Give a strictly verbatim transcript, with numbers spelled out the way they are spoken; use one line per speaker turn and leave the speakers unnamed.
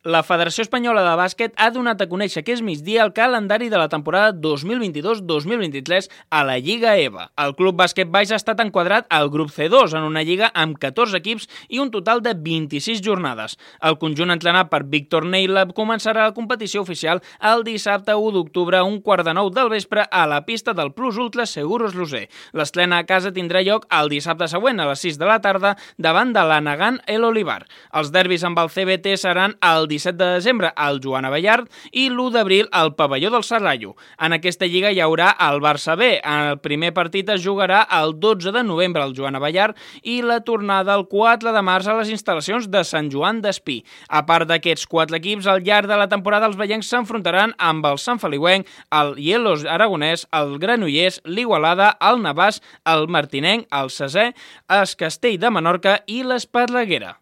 La Federació Espanyola de Bàsquet ha donat a conèixer aquest migdia el calendari de la temporada dos mil vint-i-dos dos mil vint-i-tres a la Lliga E V A. El Club Bàsquet Baix ha estat enquadrat al grup C dos en una lliga amb catorze equips i un total de vint-i-sis jornades. El conjunt entrenat per Víctor Neila començarà la competició oficial el dissabte u d'octubre a un quart de nou del vespre a la pista del Plus Ultra Seguros Luser. L'estrena a casa tindrà lloc el dissabte següent a les sis de la tarda davant de l'Anagan El Olivar. Els derbis amb el C B T seran el disset de desembre al Joan Abellard i l'u d'abril al Pavelló del Serrallo. En aquesta lliga hi haurà el Barça B. El primer partit es jugarà el dotze de novembre al Joan Abellard i la tornada el quatre de març a les instal·lacions de Sant Joan d'Espí. A part d'aquests quatre equips, al llarg de la temporada els vellencs s'enfrontaran amb el Sant Feliuenc, el Hielos Aragonès, el Granollers, l'Igualada, el Navàs, el Martinenc, el Sesè, el Castell de Menorca i l'Esparreguera.